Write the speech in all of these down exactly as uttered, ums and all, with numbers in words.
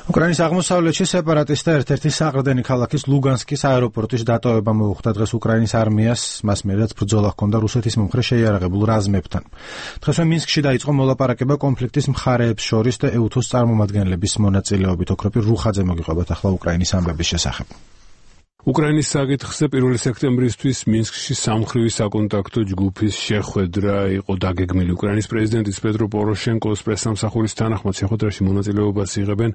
უკრაინის აღმოსავლეთში სეპარატისტთა ერთ-ერთი საყრდენი ქალაქის ლუგანსკის აეროპორტის დატოვება მოუხდა დღეს უკრაინის არმიას, მას მერეც ბრძოლა ჰქონდა რუსეთის მომხრე შეიარაღებულ რაზმებთან. დღესვე მინსკში დაიწყო მოლაპარაკება კონფლიქტის მხარეებს შორის და ეუთოს წარმომადგენლების მონაწილეობით. ოქროპირ რუხაძე მოგიყვებათ ახლა უკრაინის ამბების შესახებ. უკრაინის საკითხზე პირველი სექტემბრისთვის მინსკში სამმხრივი საკონტაქტო ჯგუფის შეხვედრა იყო დაგეგმილი. უკრაინის პრეზიდენტის პეტრო პოროშენკოს პრესსამსახურის თანახმად შეხვედრაში მონაწილეობას იღებენ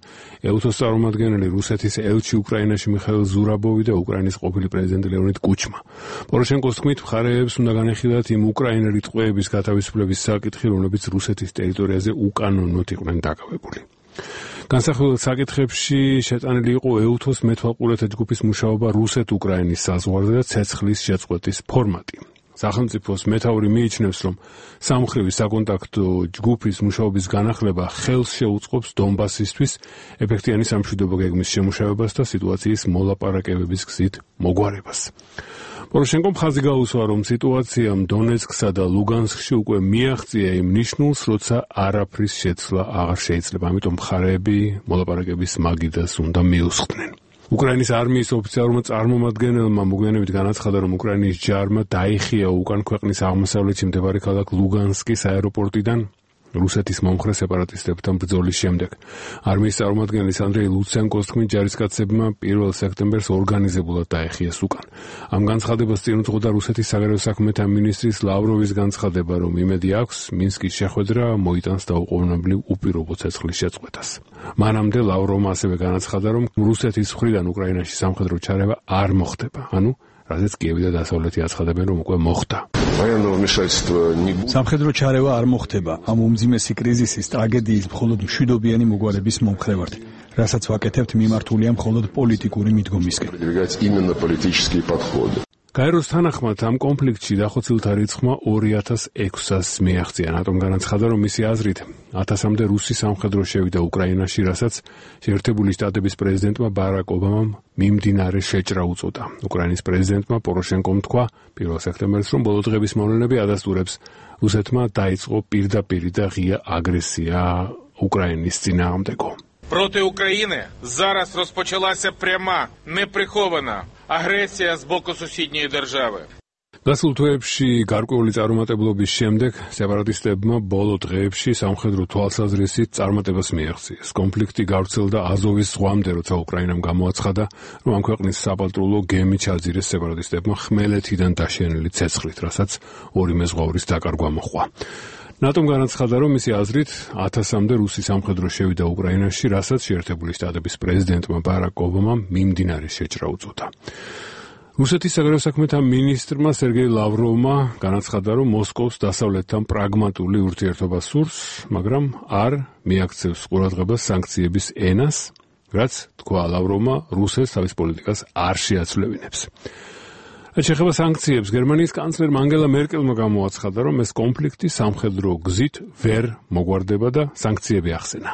ეუთოს წარმომადგენელი რუსეთის ელჩი უკრაინაში მიხაილ ზურაბოვი და უკრაინის ყოფილი პრეზიდენტი ლეონიდ კუჩმა. პოროშენკოს თქმით, მხარეებს უნდა განეხილათ იმ უკრაინელი ტყვეების გათავისუფლების საკითხი, რომლებიც რუსეთის ტერიტორიაზე უკანონოდ იყვნენ დაკავებული. განსახილველ საკითხებში შეტანილი იყო ეუთოს მეთვალყურეთა ჯგუფის მუშაობა რუსეთ-უკრაინის საზღვარზე და ცეცხლის შეწყვეტის ფორმატი. სახელმწიფოს მეთაური მიიჩნევს, რომ სამმხრივი საკონტაქტო ჯგუფის მუშაობის განახლება ხელს შეუწყობს დონბასისთვის ეფექტიანი სამშვიდობო გეგმის შემუშავებას და სიტუაციის მოლაპარაკებების გზით მოგვარებას. პოროშენკომ ხაზი გაუსვა, რომ სიტუაციამ დონეცკსა და ლუგანსკში უკვე მიაღწია იმ ნიშნულს, როცა არაფრის შეცვლა აღარ შეიძლება. ამიტომ მხარეები მოლაპარაკების მაგიდას უნდა მიუსხდნენ. უკრაინის არმიის ოფიციალურმა წარმომადგენელმა მოგვიანებით განაცხადა, რომ უკრაინის ჯარმა დაიხია უკან ქვეყნის აღმოსავლეთში მდებარე ქალაქ ლუგანსკის აეროპორტიდან რუსეთის მომხრე სეპარატისტებთან ბრძოლის შემდეგ. არმიის წარმომადგენლის ანდრეი ლუცენკოს თქმით, ჯარისკაცებმა პირველ სექტემბერს ორგანიზებულად დაეხიეს უკან. ამ განცხადებას წინ უძღოდა რუსეთის საგარეო საქმეთა მინისტრის ლავროვის განცხადება, რომ იმედი აქვს მინსკის შეხვედრა მოიტანს დაუყოვნებლივ უპირობო ცეცხლის შეწყვეტას. მანამდე ლავროვმა ასევე განაცხადა, რომ რუსეთის მხრიდან უკრაინაში სამხედრო ჩარევა არ მოხდება, ანუ რაზეც კიევი და დასავლეთი აცხადებენ, რომ უკვე მოხდა. სამხედრო ჩარევა არ მოხდება. ამ უმძიმესი კრიზისის ტრაგედიის მხოლოდ მშვიდობიანი მოგვარების მომხრე ვართ, რასაც ვაკეთებთ მიმართულია მხოლოდ პოლიტიკური მიდგომისკენ. გაეროს თანახმად ამ კონფლიქტში დახოცილთა რიცხვმა ორი ათას ექვსას მიაღწია. ნატომ განაცხადა, რომ მისი აზრით ათასამდე რუსი სამხედრო შევიდა უკრაინაში, რასაც შეერთებული შტატების პრეზიდენტმა ბარაკ ობამამ მიმდინარე შეჭრა უწოდა. უკრაინის პრეზიდენტმა პოროშენკომ თქვა პირველ სექტემბერს, რომ ბოლო დღების მოვლენები ადასტურებს რუსეთმა დაიწყო პირდაპირი და ღია აგრესია უკრაინის წინააღმდეგო. Проти України зараз розпочалася пряма, неприхована агресія з боку сусідньої держави. გასულ თვეებში გარკვეული წარუმატებლობის შემდეგ სეპარატისტებმა ბოლო დღეებში სამხედრო თვალსაზრისით წარმატებას მიაღწიეს. კონფლიქტი გავრცელდა აზოვის ზღვამდე, როცა უკრაინამ გამოაცხადა, რომ ამ ქვეყნის საპატრულო გემი ჩაძირეს სეპარატისტებმა ხმელეთიდან დაშენილი ცეცხლით, რასაც ორი მეზღვაურის დაკარგვა მოჰყვა. ნატომ განაცხადა, რომ მისი აზრით ათასამდე რუსი სამხედრო შევიდა უკრაინაში, რასაც შეერთებული შტატების პრეზიდენტმა ბარაკ ობამამ მიმდინარე შეჭრა უწოდა. რუსეთის საგარეო საქმეთა მინისტრმა სერგეი ლავროვმა განაცხადა, რომ მოსკოვს დასავლეთთან პრაგმატული ურთიერთობა სურს, მაგრამ არ მიაქცევს ყურადღებას სანქციების ენას, რაც, თქვა ლავროვმა, რუსეთს თავის პოლიტიკას არ შეაცვლევინებს. რაც შეეხება სანქციებს, გერმანიის კანცლერმა ანგელა მერკელმა გამოაცხადა, რომ ეს კონფლიქტი სამხედრო გზით ვერ მოგვარდება და სანქციები ახსენა.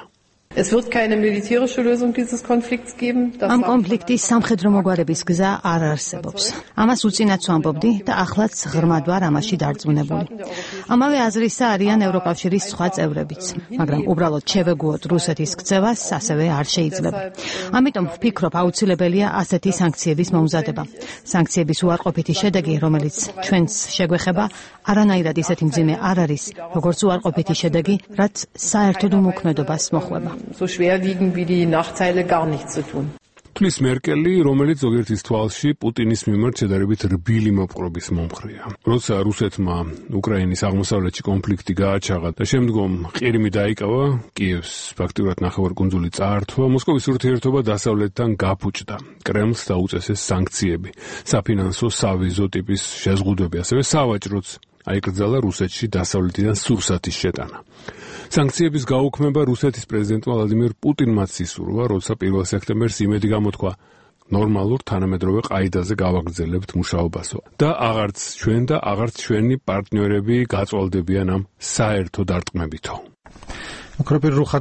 Es wird keine militärische Lösung dieses Konflikts geben. Am konfliktis სამხედრო მოგვარების გზა არ არსებობს. ამას უწინაც ვამბობდი და ახლაც ღრმად ვარ ამაში დარწმუნებული. ამავე აზრისა არიან ევროკავშირის სხვა წევრებიც, მაგრამ უბრალოდ შევეგუოთ რუსეთის ქცევას ასევე არ შეიძლება. ამიტომ ვფიქრობ, აუცილებელია ასეთი სანქციების მომზადება. სანქციების უარყოფითი შედეგი, რომელიც ჩვენს შეგვეხება, არანაირად ისეთი მძიმე არ არის, როგორც უარყოფითი შედეგი, რაც საერთოდ უმოქმედობას მოხვება. So schwer wiegen wie die Nachteile gar nichts zu tun. თulis მერკელი, რომელიც ზოგიერთის თვალში პუტინის მიმართ შედარებით რბილი მოპყრობის მომხრეა. როცა რუსეთმა უკრაინის აღმოსავლეთში კონფლიქტი გააჩაღა და შემდგომ ყირიმი დაიკავა, კიევს ფაქტიურად ნახევარკუნძული წაართვა, მოსკოვის ურთიერთობა დასავლეთთან გაფუჭდა. კრემლს დაუწესეს სანქციები, საფინანსო სავიზო ტიპის შეზღუდვები, ასევე სავაჭროც აიკრძალა რუსეთში დასავლეთიდან სურსათის შეტანა. სანქციების გაუქმება რუსეთის პრეზიდენტმა ვლადიმირ პუტინმაც ისურვა, როცა პირველ სექტემბერს იმედი გამოთქვა ნორმალურ თანამედროვე ყაიდაზე გავაგრძელებთ მუშაობასო და აღარც ჩვენ და აღარც ჩვენი პარტნიორები გაწვალდებიან ამ საერთო დარტყმებითო. ოქროპირ რუხაძე